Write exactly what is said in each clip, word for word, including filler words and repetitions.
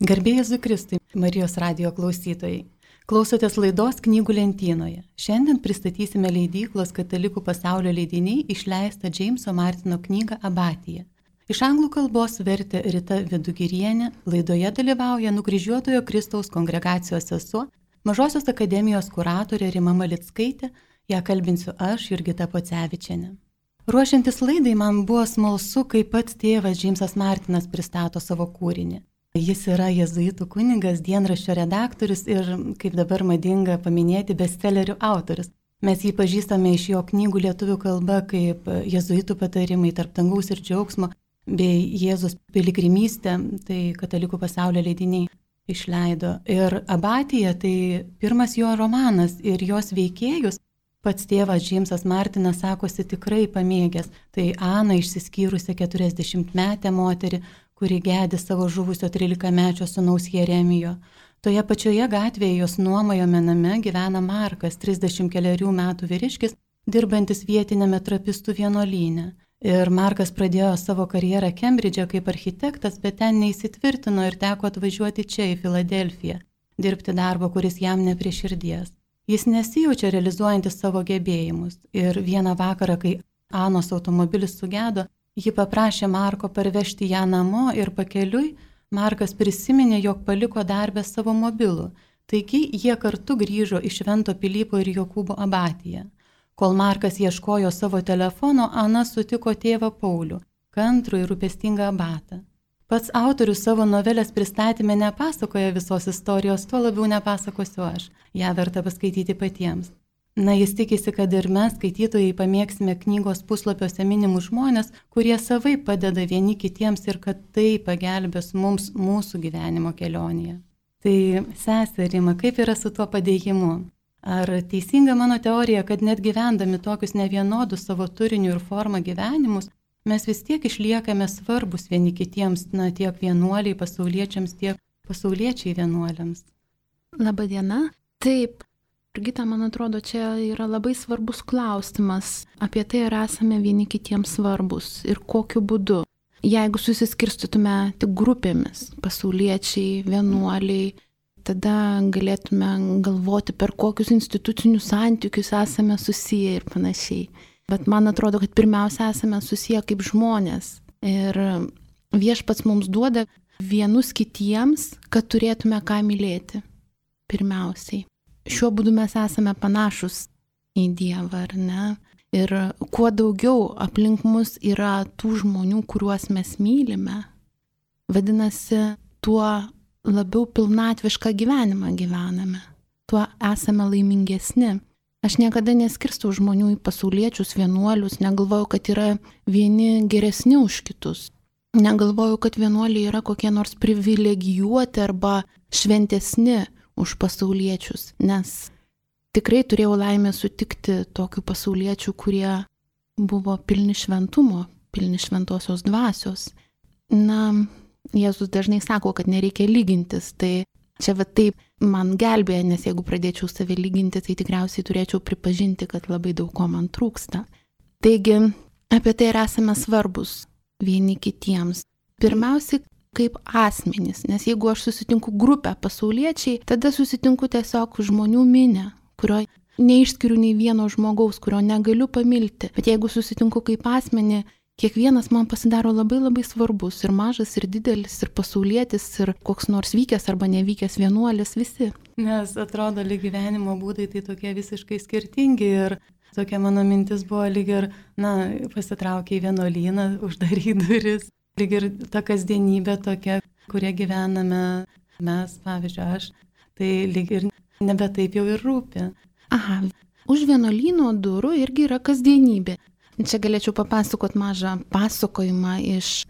Garbė Jėzui Kristui, Marijos radijo klausytojai. Klausotės laidos Knygų lentynoje. Šiandien pristatysime leidyklos Katalikų pasaulio leidiniai išleistą Džeimso Martino knygą Abatija. Iš anglų kalbos vertė Rita Vidugirienė, laidoje dalyvauja Nukryžiuotojo Kristaus kongregacijos sesuo, Mažosios akademijos kuratorė Rima Malickaitė, ją kalbinsiu aš, Jurgita Pocevičienė. Ruošiantis laidai man buvo smalsu, kaip pats tėvas Džeimsas Martinas pristato savo kūrinį. Jis yra jėzuitų kunigas, dienraščio redaktorius ir, kaip dabar madinga paminėti, bestsellerių autorius. Mes jį pažįstame iš jo knygų lietuvių kalba kaip Jėzuitų patarimai tarp dangaus ir džiaugsmo bei Jėzus piligrimystė, tai Katalikų pasaulio leidiniai išleido. Ir Abatija tai pirmas jo romanas ir jos veikėjus pats tėvas Džeimsas Martinas sakosi tikrai pamėgęs. Tai Ana, išsiskyrusi keturiasdešimtmetė moterį, kuri gedi savo žuvusio trylikamečio sūnaus Jeremijo. Toje pačioje gatvėje jos nuomojame name gyvena Markas, trisdešimt kelerių metų vyriškis, dirbantis vietinėme trapistų vienuolyne. Ir Markas pradėjo savo karjerą Kembridže kaip architektas, bet ten neįsitvirtino ir teko atvažiuoti čia į Filadelfiją, dirbti darbą, kuris jam ne prie širdies. Jis nesijaučia realizuojantis savo gebėjimus. Ir vieną vakarą, kai Anos automobilis sugedo, ji paprašė Marko parvežti ją namo ir pakeliui Markas prisiminė, jog paliko darbę savo mobilų. Taigi jie kartu grįžo iš Švento Pilypo ir Jokūbo abatiją. Kol Markas ieškojo savo telefono, Ana sutiko tėvą Paulių, kantrų ir rūpestingą abatą. Pats autorius savo novelės pristatyme nepasakoja visos istorijos, tuo labiau nepasakosiu aš. Ją verta paskaityti patiems. Na, jis tikisi, kad ir mes, skaitytojai, pamėgsime knygos puslapiuose minimus žmonės, kurie savai padeda vieni kitiems ir kad tai pagelbės mums mūsų gyvenimo kelionėje. Tai, sesė Rima, kaip yra su tuo padėjimu? Ar teisinga mano teorija, kad net gyvendami tokius nevienodus savo turiniu ir forma gyvenimus, mes vis tiek išliekame svarbus vieni kitiems, na, tiek vienuoliai pasauliečiams, tiek pasauliečiai vienuoliams? Labadiena. Taip. Jurgita, man atrodo, čia yra labai svarbus klausimas apie tai, ar esame vieni kitiems svarbus ir kokiu būdu. Jeigu susiskirstytume tik grupėmis, pasauliečiai, vienuoliai, tada galėtume galvoti, per kokius institucinius santykius esame susiję ir panašiai. Bet man atrodo, kad pirmiausia esame susiję kaip žmonės. Ir Viešpats mums duoda vienus kitiems, kad turėtume ką mylėti. Pirmiausiai. Šiuo būdu mes esame panašus į Dievą, ar ne? Ir kuo daugiau aplink mus yra tų žmonių, kuriuos mes mylime, vadinasi, tuo labiau pilnatvišką gyvenimą gyvename, tuo esame laimingesni. Aš niekada neskirstau žmonių į pasauliečius, vienuolius, negalvoju, kad yra vieni geresni už kitus. Negalvoju, kad vienuoliai yra kokie nors privilegijuoti arba šventesni už pasauliečius, nes tikrai turėjau laimę sutikti tokių pasauliečių, kurie buvo pilni šventumo, pilni šventosios dvasios. Na, Jėzus dažnai sako, kad nereikia lygintis, tai čia va taip man gelbėja, nes jeigu pradėčiau save lyginti, tai tikriausiai turėčiau pripažinti, kad labai daug ko man trūksta. Taigi, apie tai ir esame svarbus vieni kitiems. Pirmiausiai, kaip asmenys, nes jeigu aš susitinku grupę pasauliečiai, tada susitinku tiesiog žmonių minę, kurio neišskiriu nei vieno žmogaus, kurio negaliu pamilti. Bet jeigu susitinku kaip asmenį, kiekvienas man pasidaro labai labai svarbus, ir mažas, ir didelis, ir pasaulietis, ir koks nors vykęs arba nevykęs vienuolis, visi. Nes atrodo, lyg gyvenimo būdai tai tokie visiškai skirtingi ir tokia mano mintis buvo lyg ir, na, pasitraukia į vienuolyną, uždaryt duris. Lyg ir ta kasdienybė tokia, kurie gyvename mes, pavyzdžiui, aš, tai lyg ir nebe taip jau ir rūpi. Aha, už vienuolyno durų irgi yra kasdienybė. Čia galėčiau papasakot mažą pasakojimą iš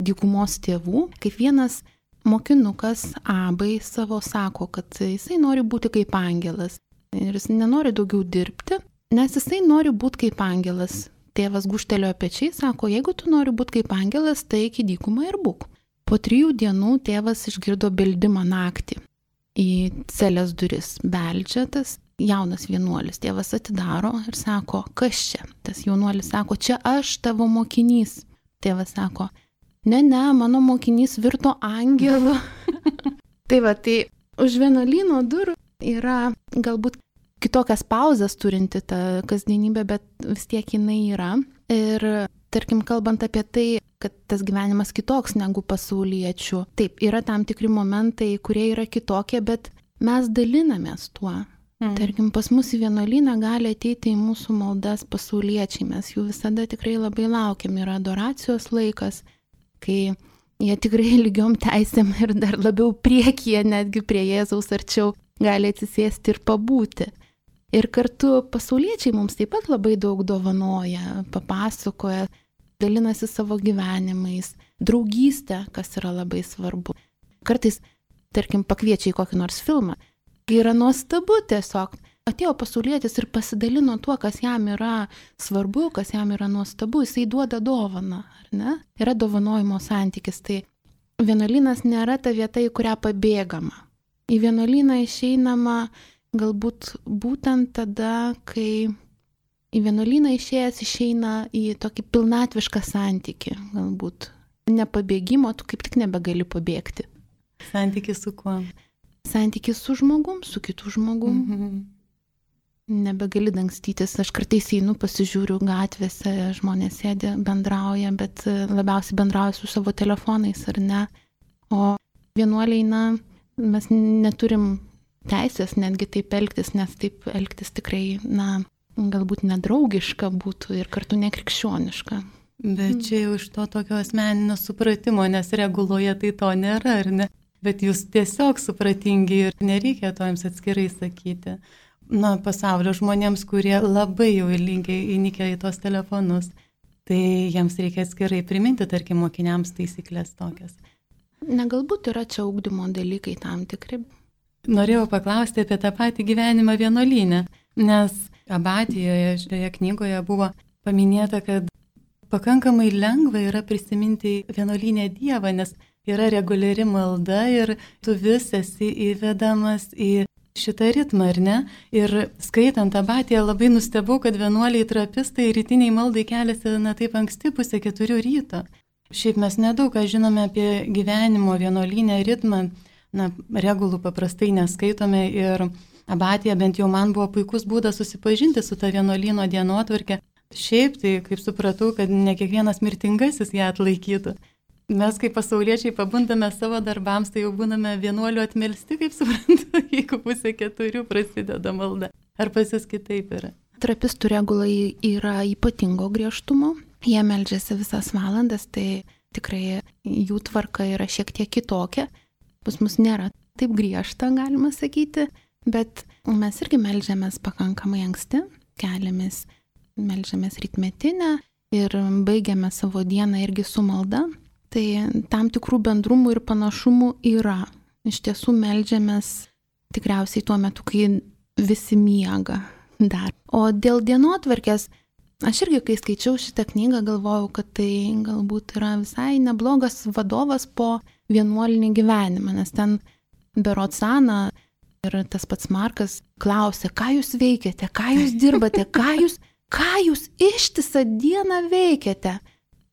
dykumos tėvų, kaip vienas mokinukas Abai savo sako, kad jisai nori būti kaip angelas ir jis nenori daugiau dirbti, nes jisai nori būti kaip angelas. Tėvas guštelėjo pečiai, sako, jeigu tu nori būti kaip angelas, tai iki dykumą ir būk. Po trijų dienų tėvas išgirdo beldimą naktį. Į celės duris beldžia tas jaunas vienuolis. Tėvas atidaro ir sako, kas čia? Tas jaunuolis sako, čia aš tavo mokinys. Tėvas sako, ne, ne, mano mokinys virto angelu. Tai va, tai už vienuolyno durų yra galbūt kitokias pauzes turinti ta kasdienybė, bet vis tiek jinai yra. Ir tarkim, kalbant apie tai, kad tas gyvenimas kitoks negu pasauliečių. Taip, yra tam tikri momentai, kurie yra kitokie, bet mes dalinamės tuo. Mm. Tarkim, pas mus į vienuolyną gali ateiti į mūsų maldas pasauliečiai, mes jų visada tikrai labai laukiam, yra adoracijos laikas, kai jie tikrai lygiom teisėm ir dar labiau priekyje, netgi prie Jėzaus arčiau, gali atsisėsti ir pabūti. Ir kartu pasauliečiai mums taip pat labai daug dovanoja, papasakoja, dalinasi savo gyvenimais, draugystė, kas yra labai svarbu. Kartais, tarkim, pakviečia į kokį nors filmą. Yra nuostabu tiesiog. Atėjo pasaulietis ir pasidalino tuo, kas jam yra svarbu, kas jam yra nuostabu, jisai duoda dovaną, ar ne? Yra dovanojimo santykis. Tai vienuolynas nėra ta vieta, į kurią pabėgama. Į vienuolyną išeinama galbūt būtent tada, kai į vienuolyną išėjęs išeina į tokį pilnatvišką santykį, galbūt. Nepabėgimo, tu kaip tik nebegali pabėgti. Santykis su kuo? Santykis su žmogum, su kitu žmogum. Mm-hmm. Nebegali dangstytis. Aš kartais einu, pasižiūriu gatvėse, žmonės sėdi, bendrauja, bet labiausiai bendrauja su savo telefonais, ar ne? O vienuoliai, na, mes neturim teisės netgi taip elgtis, nes taip elgtis tikrai, na, galbūt nedraugiška būtų ir kartu nekrikščioniška. Bet čia jau iš to tokio asmeninio supratimo, nes reguloje tai to nėra, ar ne? Bet jūs tiesiog supratingi ir nereikia to jums atskirai sakyti. Na, pasaulio žmonėms, kurie labai jau linkiai įnikę į tos telefonus, tai jiems reikia atskirai priminti, tarkim, mokiniams taisyklės tokias. Na, galbūt yra čia ugdymo dalykai tam tikri. Norėjau paklausti apie tą patį gyvenimą vienuolyne, nes Abatijoje šioje knygoje buvo paminėta, kad pakankamai lengva yra prisiminti vienuolynę Dievą, nes yra reguliari malda ir tu vis esi įvedamas į šitą ritmą, ar ne? Ir skaitant Abatiją labai nustebau, kad vienuoliai trapistai rytiniai maldai keliasi na taip anksti pusę keturių ryto. Šiaip mes nedaug ką žinome apie gyvenimo vienuolynę ritmą, na, regulų paprastai neskaitome ir Abatija bent jau man buvo puikus būdas susipažinti su ta vienuolyno dienotvarke. Šiaip tai, kaip supratau, kad ne kiekvienas mirtingasis ją atlaikytų. Mes kaip pasauliečiai pabundame savo darbams, tai jau būname vienuolių atmelsti, kaip suprantu, jeigu pusė keturių prasideda malda. Ar pas jūs kitaip yra? Trapistų regulai yra ypatingo griežtumo. Jie meldžiasi visas valandas, tai tikrai jų tvarka yra šiek tiek kitokia. Pas mus nėra taip griežta, galima sakyti, bet mes irgi meldžiamės pakankamai anksti, keliamės, meldžiamės rytmetinę ir baigiame savo dieną irgi su malda. Tai tam tikrų bendrumų ir panašumų yra. Iš tiesų meldžiamės tikriausiai tuo metu, kai visi miega dar. O dėl dienotvarkės, aš irgi, kai skaičiau šitą knygą, galvojau, kad tai galbūt yra visai neblogas vadovas po vienuolinį gyvenimą, nes ten berods Ana ir tas pats Markas klausė, ką jūs veikiate, ką jūs dirbate, ką jūs, ką jūs ištisą dieną veikiate.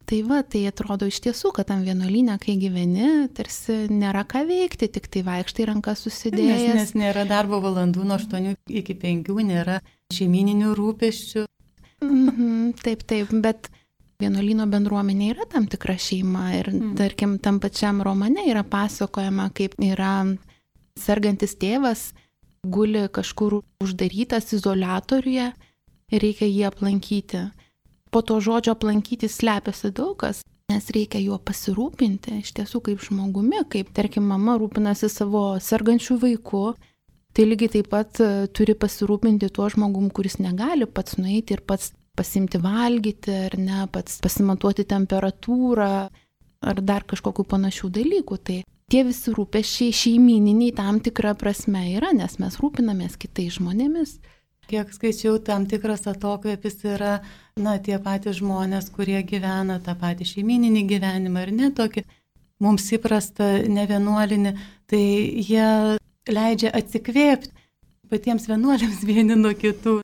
Tai va, tai atrodo iš tiesų, kad tam vienuolyne, kai gyveni, tarsi nėra ką veikti, tik tai vaikštai rankas susidėjęs. Nes, nes nėra darbo valandų nuo aštuonių iki penkių, nėra šeimininių rūpesčių. Mhm, taip, taip, bet vienuolyno bendruomenė yra tam tikra šeima ir, mm. tarkim, tam pačiam romane yra pasakojama, kaip yra sergantis tėvas, guli kažkur uždarytas izoliatoriuje ir reikia jį aplankyti. Po to žodžio aplankyti slepiasi daug kas, nes reikia juo pasirūpinti, iš tiesų kaip žmogumi, kaip, tarkim, mama rūpinasi savo sergančių vaikų, tai lygiai taip pat turi pasirūpinti tuo žmogum, kuris negali pats nueiti ir pats pasimti valgyti, ar ne, pats pasimatuoti temperatūrą, ar dar kažkokių panašių dalykų. Tai tie visi rūpesčiai šeimininiai tam tikrą prasme yra, nes mes rūpinamės kitais žmonėmis. Kiek skaičiau, tam tikras atokvėpis yra, na, tie patys žmonės, kurie gyvena tą patį šeimininį gyvenimą ir netokį mums įprasta nevienuolinį, tai jie leidžia atsikvėpti patiems vienuoliams vieni nuo kitų,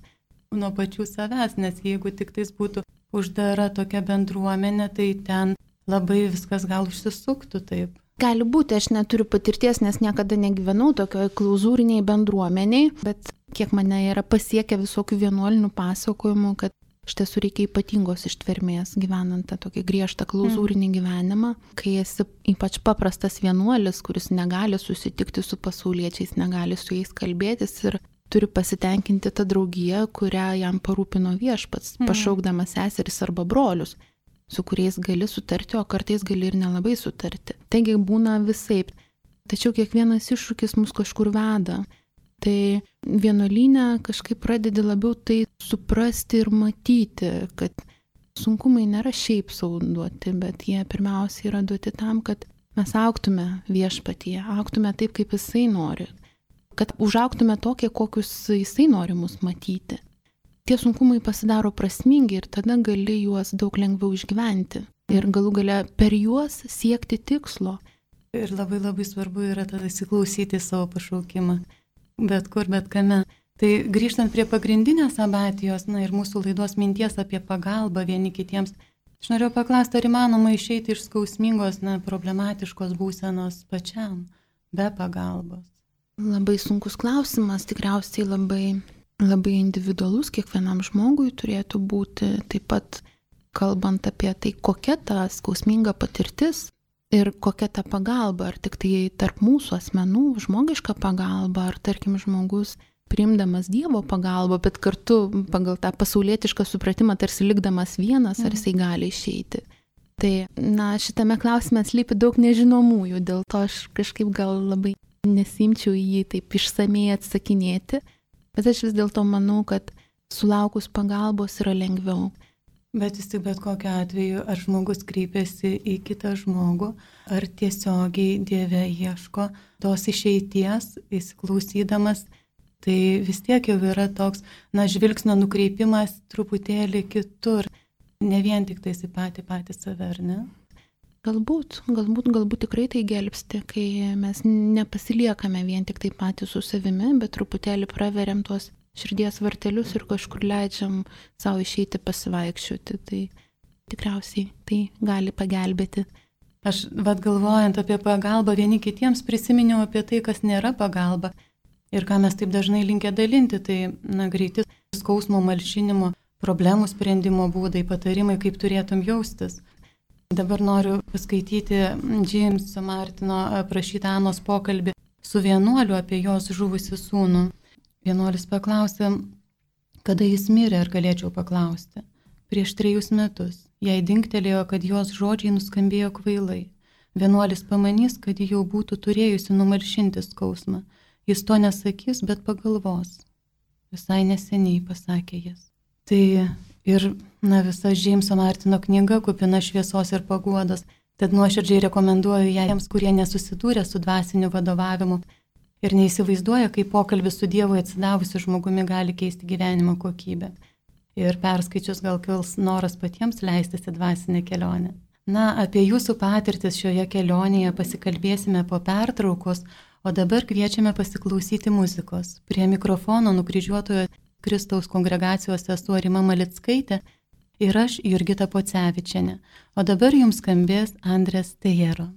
nuo pačių savęs, nes jeigu tik tais būtų uždara tokia bendruomenė, tai ten labai viskas gal užsisuktų taip. Gali būti, aš neturiu patirties, nes niekada negyvenau tokioj klauzūriniai bendruomeniai, bet kiek mane yra pasiekę visokių vienuolinių pasakojimų, kad iš tiesų reikia ypatingos ištvermės gyvenant tą tokį griežtą klauzūrinį gyvenimą, kai esi ypač paprastas vienuolis, kuris negali susitikti su pasauliečiais, negali su jais kalbėtis ir turi pasitenkinti tą draugiją, kurią jam parūpino viešpats, mm. pašaukdamas seseris arba brolius, su kuriais gali sutarti, o kartais gali ir nelabai sutarti. Taigi būna visaip. Tačiau kiekvienas iššūkis mus kažkur veda. Tai vienuolyne kažkaip pradedi labiau tai suprasti ir matyti, kad sunkumai nėra šiaip sau duoti, bet jie pirmiausia yra duoti tam, kad mes augtume viešpatyje, augtume taip, kaip jisai nori, kad užaugtume tokie, kokius jisai nori mus matyti. Tie sunkumai pasidaro prasmingi ir tada gali juos daug lengviau išgyventi ir galų gale per juos siekti tikslo. Ir labai labai svarbu yra tada įsiklausyti savo pašaukimą, bet kur, bet kame. Tai grįžtant prie pagrindinės abatijos, na ir mūsų laidos minties apie pagalbą vieni kitiems, aš norėjau paklausti, ar įmanoma išeiti iš skausmingos, na, problematiškos būsenos pačiam, be pagalbos? Labai sunkus klausimas, tikriausiai labai, labai individualus, kiekvienam žmogui turėtų būti, taip pat kalbant apie tai, kokia ta skausminga patirtis ir kokia ta pagalba, ar tik tai tarp mūsų asmenų žmogiška pagalba, ar tarkim žmogus priimdamas Dievo pagalbą, bet kartu pagal tą pasaulietišką supratimą tarsi likdamas vienas, ar jisai gali išeiti. Tai, na, šitame klausime slypi daug nežinomųjų, dėl to aš kažkaip gal labai nesimčiau jį taip išsamei atsakinėti, bet aš vis dėlto manau, kad sulaukus pagalbos yra lengviau. Bet vis tik bet kokiu atveju, ar žmogus kreipiasi į kitą žmogų, ar tiesiogiai Dieve ieško tos išeities, įsiklausydamas, tai vis tiek jau yra toks, na, žvilgsnio nukreipimas truputėlį kitur, ne vien tik tais į patį patį save, ar ne? Galbūt, galbūt, galbūt tikrai tai gelbsti, kai mes nepasiliekame vien tik tai patys su savimi, bet truputėlį praveriam tuos širdies vartelius ir kažkur leidžiam savo išeiti pasivaikščioti. Tai tikriausiai tai gali pagelbėti. Aš, vad galvojant apie pagalbą vieni kitiems, prisiminiau apie tai, kas nėra pagalba ir ką mes taip dažnai linkę dalinti. Tai, na, greiti skausmo malšinimo, problemų sprendimo būdai, patarimai, kaip turėtum jaustis. Dabar noriu paskaityti Jameso Martino aprašytą Anos pokalbį su vienuoliu apie jos žuvusi sūnų. Vienuolis paklausė, kada jis mirė, ar galėčiau paklausti. Prieš trejus metus. Jai dingtelėjo, kad jos žodžiai nuskambėjo kvailai. Vienuolis pamanys, kad ji jau būtų turėjusi numalšinti skausmą. Jis to nesakys, bet pagalvos. Visai neseniai, pasakė jis. Tai ir, na, visa Jameso Martino knyga kupina šviesos ir paguodos, tad nuoširdžiai rekomenduoju ją tiems, kurie nesusidūrė su dvasiniu vadovavimu ir neįsivaizduoja, kaip pokalbis su Dievu atsidavusiu žmogumi gali keisti gyvenimo kokybę. Ir perskaičius gal kils noras patiems leistis į dvasinę kelionę. Na, apie jūsų patirtis šioje kelionėje pasikalbėsime po pertraukos, o dabar kviečiame pasiklausyti muzikos. Prie mikrofono nukryžiuotojo Kristaus kongregacijos sesuo Rima Malickaitė ir aš Jurgita Pocevičienė. O dabar jums skambės Andrės Tejero.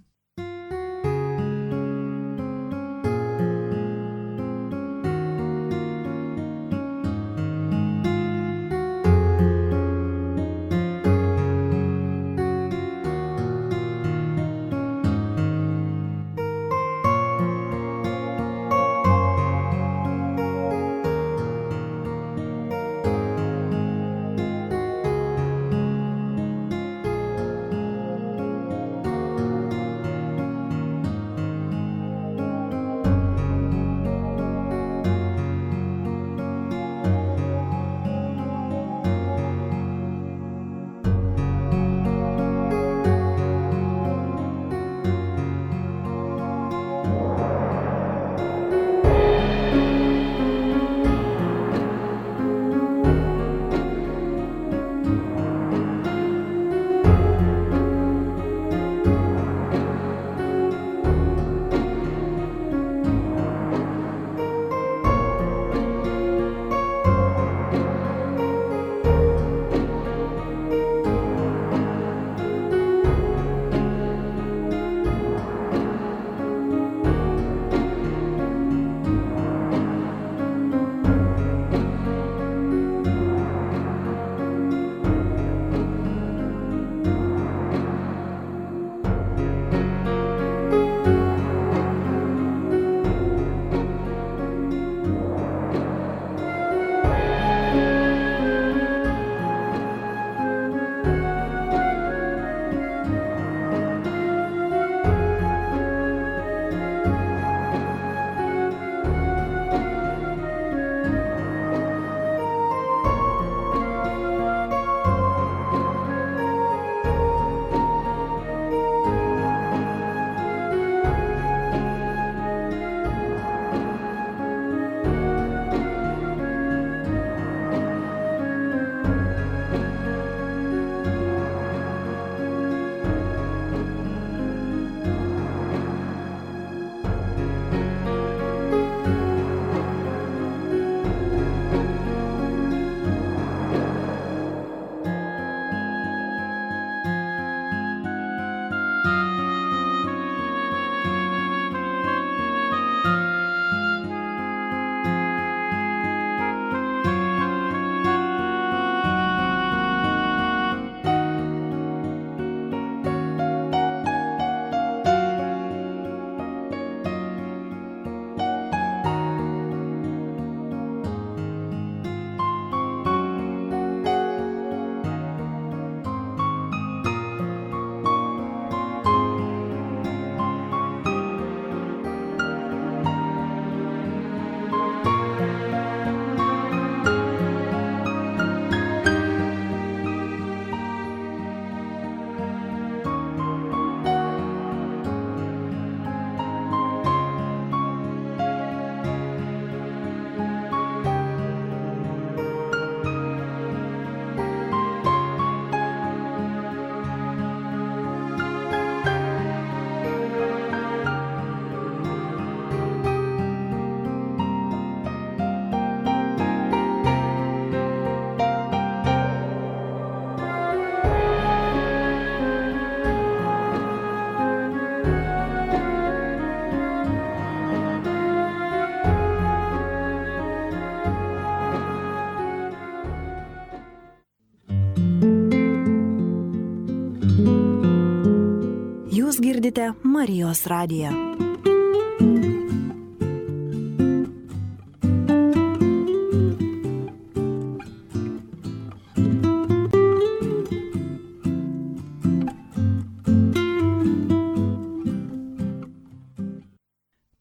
Klausote Marijos radiją.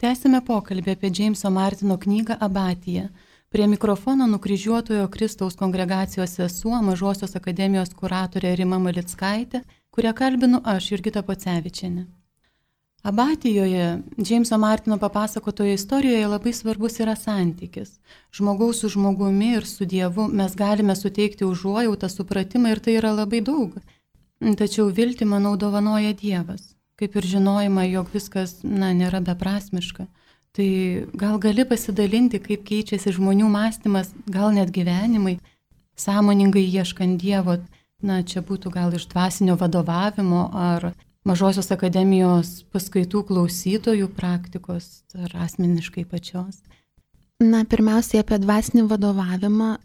Tęsime pokalbį apie Džeimso Martino knygą Abatija. Prie mikrofono nukryžiuotojo Kristaus kongregacijos sesuo, Mažosios akademijos kuratorė Rima Malickaitė, kurią kalbinu aš, Jurgita Pocevičienė. Abatijoje, Džeimso Martino papasakotoje istorijoje labai svarbus yra santykis. Žmogaus su žmogumi ir su Dievu mes galime suteikti užuojautą, supratimą ir tai yra labai daug. Tačiau viltį, manau, dovanoja Dievas. Kaip ir žinojimą, jog viskas, na, nėra beprasmiška. Tai gal gali pasidalinti, kaip keičiasi žmonių mąstymas, gal net gyvenimai, sąmoningai ieškant Dievo, na, čia būtų gal iš dvasinio vadovavimo ar Mažosios akademijos paskaitų klausytojų praktikos ar asmeniškai pačios. Na, pirmiausiai apie dvasinį vadovavimą.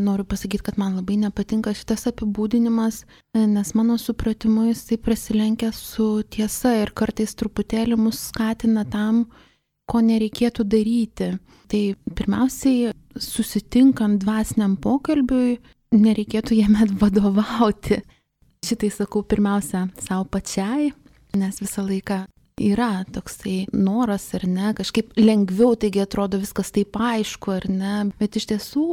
Noriu pasakyti, kad man labai nepatinka šitas apibūdinimas, nes mano supratimu jisai prasilenkia su tiesa ir kartais truputėlį mus skatina tam, ko nereikėtų daryti. Tai pirmiausiai, susitinkant dvasiniam pokalbiui, nereikėtų jame vadovauti. Šitai sakau pirmiausia savo pačiai, nes visą laiką yra toksai noras ar ne, kažkaip lengviau, taigi atrodo viskas taip aišku ar ne, bet iš tiesų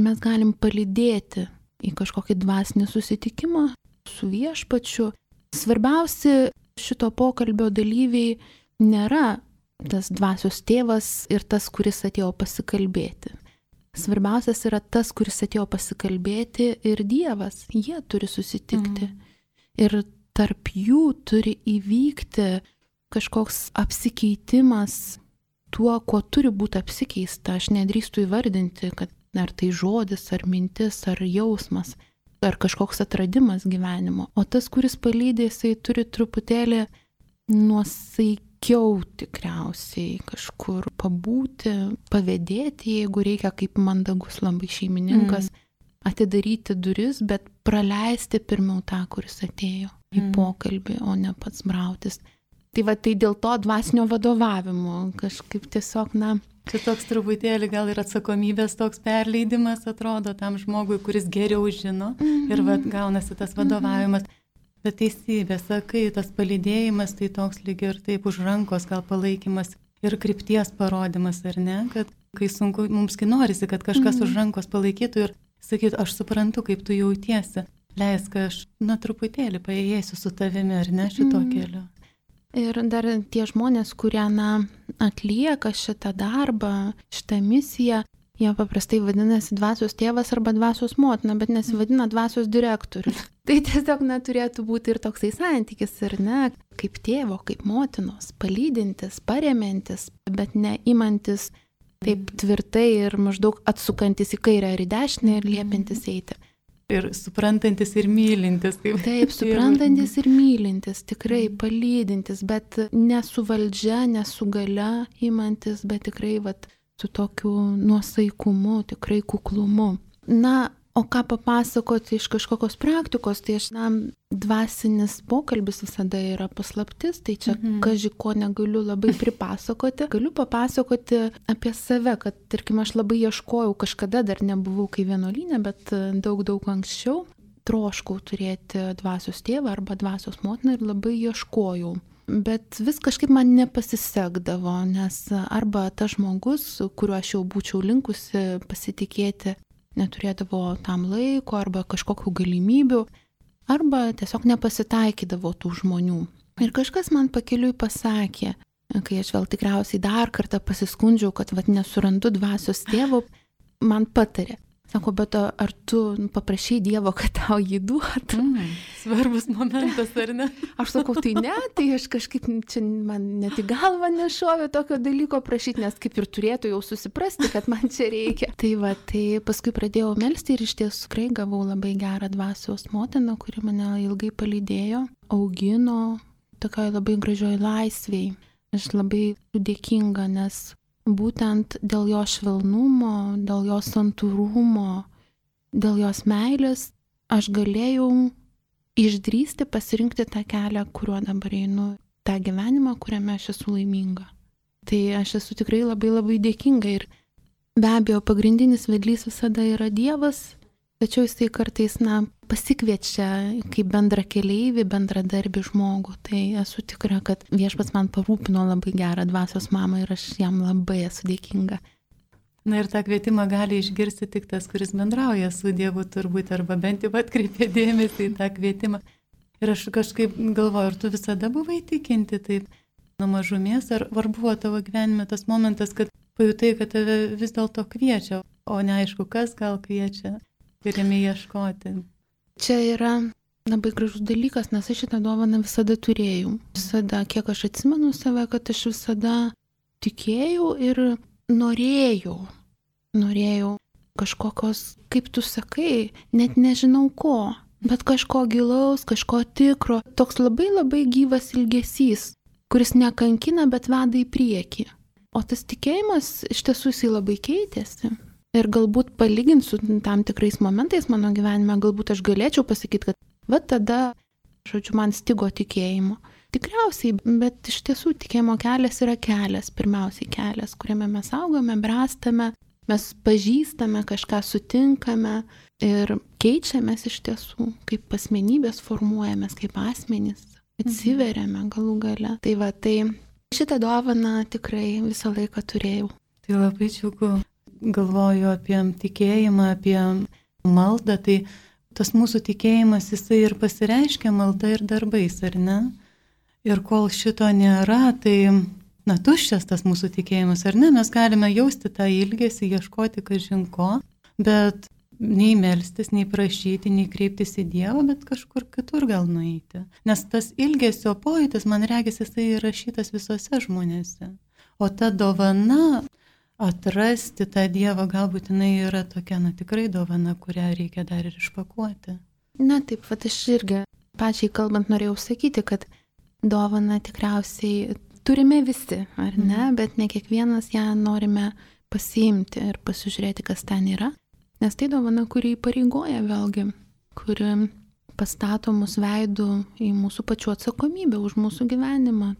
mes galim palydėti į kažkokį dvasinį susitikimą su viešpačiu. Svarbiausi šito pokalbio dalyviai nėra tas dvasios tėvas ir tas, kuris atėjo pasikalbėti. Svarbiausias yra tas, kuris atėjo pasikalbėti ir Dievas. Jie turi susitikti. Mm. Ir tarp jų turi įvykti kažkoks apsikeitimas tuo, kuo turi būti apsikeista. Aš nedrįstu įvardinti, kad ar tai žodis, ar mintis, ar jausmas, ar kažkoks atradimas gyvenimo. O tas, kuris palydė, jisai turi truputėlį nuosaikiau tikriausiai kažkur pabūti, pavėdėti, jeigu reikia, kaip mandagus labai šeimininkas, mm. atidaryti duris, bet praleisti pirmiau tą, kuris atėjo į mm. pokalbį, o ne pats brautis. Tai va, tai dėl to dvasinio vadovavimo kažkaip tiesiog, na, čia toks truputėlį gal ir atsakomybės toks perleidimas atrodo tam žmogui, kuris geriau žino mm-hmm. ir va, gaunasi tas vadovavimas. Mm-hmm. Bet teisybė, sakai, tas palydėjimas tai toks lyg ir taip už rankos gal palaikymas ir krypties parodimas, ar ne? Kad kai sunku, mums kai norisi, kad kažkas mm-hmm. už rankos palaikytų ir sakytų, aš suprantu, kaip tu jautiesi, leisk, aš na truputėlį paėjėsiu su tavimi, ar ne, šito mm-hmm. keliu. Ir dar tie žmonės, kurie na, atlieka šitą darbą, šitą misiją, jie paprastai vadinasi dvasios tėvas arba dvasios motina, bet nesivadina dvasios direktorius. Tai tiesiog neturėtų būti ir toksai santykis, ir ne, kaip tėvo, kaip motinos, palydintis, paremiantis, bet neimantis taip tvirtai ir maždaug atsukantis į kairę ir į dešinę ir liepintis eiti. Ir suprantantis ir mylintis. Kaip Taip, suprantantis ir mylintis, tikrai palydintis, bet ne su valdžia, ne su galia imantis, bet tikrai vat, su tokiu nuosaikumu, tikrai kuklumu. Na, o ką papasakoti iš kažkokios praktikos, tai aš, na, dvasinis pokalbis visada yra paslaptis, tai čia mhm. kaži ko negaliu labai pripasakoti. Galiu papasakoti apie save, kad, tarkim, aš labai ieškojau, kažkada dar nebuvau kai vienuolyne, bet daug, daug anksčiau troškau turėti dvasios tėvą arba dvasios motiną ir labai ieškojau. Bet vis kažkaip man nepasisekdavo, nes arba tas žmogus, kuriuo aš jau būčiau linkusi pasitikėti, neturėdavo tam laiko arba kažkokių galimybių, arba tiesiog nepasitaikydavo tų žmonių. Ir kažkas man pakeliui pasakė, kai aš vėl tikriausiai dar kartą pasiskundžiau, kad vat, nesurandu dvasios tėvo, man patarė. Sako, bet ar tu paprašai Dievo, kad tau jį duotų? Mm, svarbus momentas, ar ne? Aš sakau, tai ne, tai aš kažkaip čia man net į galvą nešovė tokio dalyko prašyti, nes kaip ir turėtų jau susiprasti, kad man čia reikia. Tai va, tai paskui pradėjau melsti ir iš tiesų tikrai gavau labai gerą dvasios motiną, kuri mane ilgai palydėjo, augino tokioj labai gražioj laisvėj. Aš labai dėkinga, nes būtent dėl jo švelnumo, dėl jo santūrumo, dėl jos meilės aš galėjau išdrįsti pasirinkti tą kelią, kuriuo dabar einu. tą gyvenimą, kuriame aš esu laiminga. Tai aš esu tikrai labai labai dėkinga ir be abejo pagrindinis vedlys visada yra Dievas, tačiau jisai kartais, na, pasikviečia kaip bendra keleivį, bendradarbį žmogų. Tai esu tikra, kad Viešpats man parūpino labai gerą dvasios mamą ir aš jam labai esu dėkinga. Na ir tą kvietimą gali išgirsti tik tas, kuris bendrauja su Dievu turbūt, arba bent jau atkreipia dėmesį į tą kvietimą. Ir aš kažkaip galvoju, ar tu visada buvai tikinti taip nuo mažumės, ar, ar buvo tavo gyvenime tas momentas, kad pajutai, kad tave vis dėlto kviečia, o neaišku, kas gal kviečia ir ėmė ieškoti. Čia yra labai gražus dalykas, nes aš šitą dovaną visada turėjau. Visada, kiek aš atsimenu save, kad aš visada tikėjau ir norėjau. Norėjau kažkokios, kaip tu sakai, net nežinau ko, bet kažko gilaus, kažko tikro. Toks labai labai gyvas ilgesys, kuris nekankina, bet veda į priekį. O tas tikėjimas iš tiesų jisai labai keitėsi. Ir galbūt palygint su tam tikrais momentais mano gyvenime, galbūt aš galėčiau pasakyti, kad va tada, žodžiu, man stigo tikėjimo. Tikriausiai, bet iš tiesų tikėjimo kelias yra kelias, pirmiausiai kelias, kuriame mes augame, bręstame, mes pažįstame, kažką sutinkame ir keičiamės iš tiesų, kaip asmenybės formuojamės, kaip asmenys, atsiveriame galų gale. Tai va, tai šitą dovaną tikrai visą laiką turėjau. Tai labai džiugu, galvoju apie tikėjimą, apie maldą, tai tas mūsų tikėjimas, jisai ir pasireiškia malda ir darbais, ar ne? Ir kol šito nėra, tai, na, tuščias tas mūsų tikėjimas, ar ne? Mes galime jausti tą ilgesį, ieškoti kažin ko, bet nei melstis, nei prašyti, nei kreiptis į Dievą, bet kažkur kitur gal nueiti. Nes tas ilgesio pojūtis, man regis, jisai įrašytas visose žmonėse. O ta dovana, atrasti tą Dievą, galbūt jinai yra tokia, na, tikrai dovana, kurią reikia dar ir išpakuoti. Na taip, vat aš irgi pačiai kalbant norėjau sakyti, kad dovana tikriausiai turime visi, ar ne, mm. bet ne kiekvienas ją norime pasiimti ir pasižiūrėti, kas ten yra. Nes tai dovana, kuri įpareigoja vėlgi, kuri pastato mus veidų į mūsų pačių atsakomybę už mūsų gyvenimą.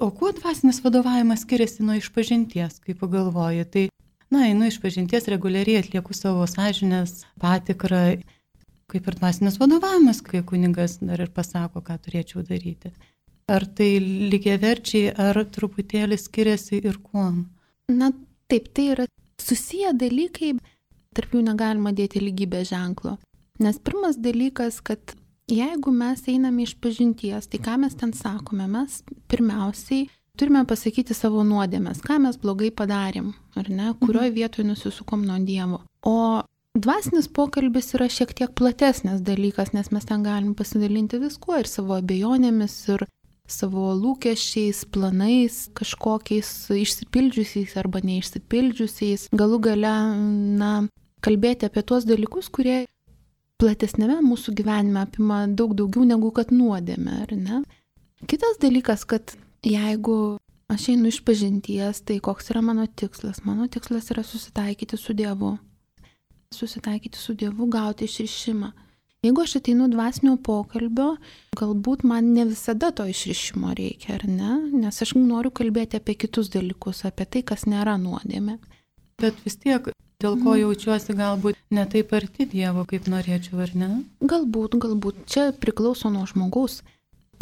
O kuo dvasinis vadovavimas skiriasi nuo išpažinties, kaip pagalvoji? Tai, na, einu išpažinties, reguliariai atlieku savo sąžinės patikrą, kaip ir dvasinis vadovavimas, kai kunigas dar ir pasako, ką turėčiau daryti. Ar tai lygiaverčiai, ar truputėlį skiriasi ir kuom? Na taip, tai yra susiję dalykai, tarp jų negalima dėti lygybės ženklo. Nes pirmas dalykas, kad jeigu mes einame iš pažinties, tai ką mes ten sakome, mes pirmiausiai turime pasakyti savo nuodėmes, ką mes blogai padarėm, ar ne, kurioje vietoje nusisukom nuo Dievo. O dvasinis pokalbis yra šiek tiek platesnis dalykas, nes mes ten galim pasidalinti viskuo ir savo abejonėmis, ir savo lūkesčiais, planais, kažkokiais išsipildžiusiais arba neišsipildžiusiais. Galų gale, na, kalbėti apie tuos dalykus, kurie platesnėme mūsų gyvenime apima daug daugiau negu kad nuodėmė, ar ne? Kitas dalykas, kad jeigu aš einu iš pažinties, tai koks yra mano tikslas? Mano tikslas yra susitaikyti su Dievu. Susitaikyti su Dievu, gauti išrišimą. Jeigu aš ateinu dvasinio pokalbio, galbūt man ne visada to išrišimo reikia, ar ne? Nes aš noriu kalbėti apie kitus dalykus, apie tai, kas nėra nuodėmė. Bet vis tiek, dėl ko jaučiuosi galbūt ne taip arti Dievo, kaip norėčiau, ar ne? Galbūt, galbūt. Čia priklauso nuo žmogaus,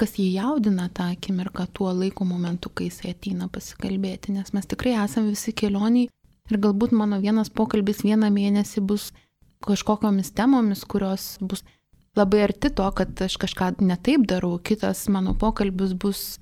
kas jį jaudina tą akimirką tuo laiko momentu, kai jisai ateina pasikalbėti. Nes mes tikrai esame visi kelioniai ir galbūt mano vienas pokalbis vieną mėnesį bus kažkokiamis temomis, kurios bus labai arti to, kad aš kažką netaip darau. Kitas mano pokalbis bus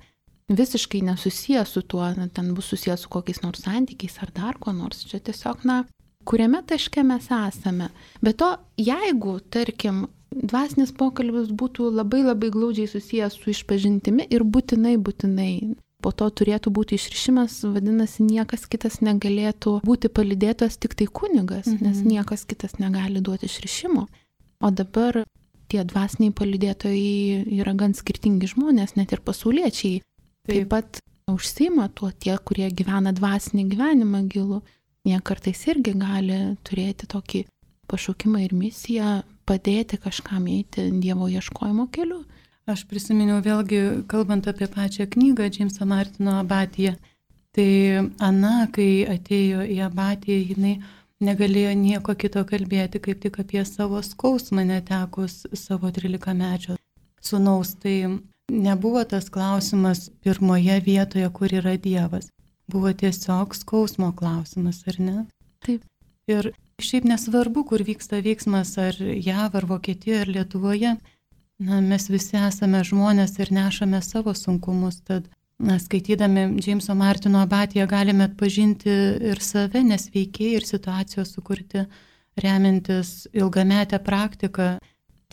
visiškai nesusijęs su tuo, ten bus susijęs su kokiais nors santykiais ar dar ko nors. Čia tiesiog, na, kuriame taške mes esame. Bet to, jeigu, tarkim, dvasinis pokalbis būtų labai labai glaudžiai susijęs su išpažintimi ir būtinai, būtinai po to turėtų būti išrišimas, vadinasi, niekas kitas negalėtų būti palydėtas, tik tai kunigas, mhm. nes niekas kitas negali duoti išrišimo. O dabar tie dvasiniai palydėtojai yra gan skirtingi žmonės, net ir pasauliečiai. Taip, Taip pat užsiima tuo tie, kurie gyvena dvasinį gyvenimą gilų. Jie kartais irgi gali turėti tokį pašaukimą ir misiją, padėti kažkam eiti Dievo ieškojimo keliu. Aš prisiminiau vėlgi, kalbant apie pačią knygą Džeimso Martino Abatiją, tai Ana, kai atėjo į Abatiją, jinai negalėjo nieko kito kalbėti, kaip tik apie savo skausmą netekus savo trilikamečio sūnaus. Tai nebuvo tas klausimas pirmoje vietoje, kur yra Dievas. Buvo tiesiog skausmo klausimas, ar ne? Taip. Ir šiaip nesvarbu, kur vyksta veiksmas, ar Jav, ar Vokietijoje, ar Lietuvoje, na, mes visi esame žmonės ir nešame savo sunkumus, tad na, skaitydami Džeimso Martino Abatiją galime atpažinti ir save, nes veikiai ir situacijos sukurti remiantis ilgametę praktiką,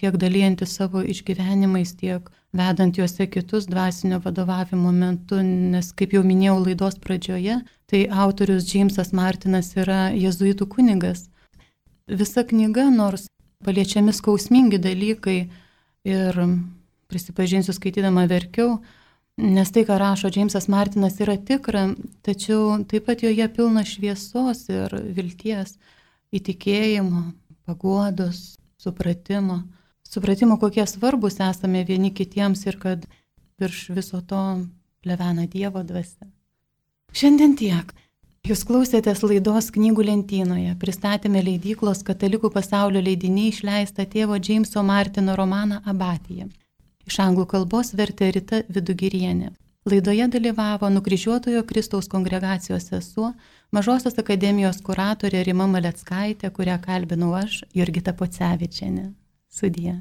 tiek dalyjantis savo išgyvenimais, tiek vedant juose kitus dvasinio vadovavimo metu, nes, kaip jau minėjau laidos pradžioje, tai autorius Džeimsas Martinas yra jėzuitų kunigas. Visa knyga, nors paliečiami skausmingi dalykai, ir prisipažinsiu, skaitydama verkiau, nes tai, ką rašo Džeimsas Martinas, yra tikra, tačiau taip pat joje pilna šviesos ir vilties, įtikėjimo, paguodos, supratimo. Supratimo, kokie svarbus esame vieni kitiems ir kad virš viso to plevena Dievo dvasia. Šiandien tiek. Jūs klausėtės laidos Knygų lentynoje. Pristatėme leidyklos Katalikų pasaulio leidiniai išleistą tėvo Džeimso Martino romaną Abatija. Iš anglų kalbos vertė Rita Vidugirienė. Laidoje dalyvavo Nukryžiuotojo Kristaus kongregacijos sesuo, Mažosios akademijos kuratorė Rima Maleckaitė, kurią kalbinau aš, Jurgita Pocevičienė. Sudie.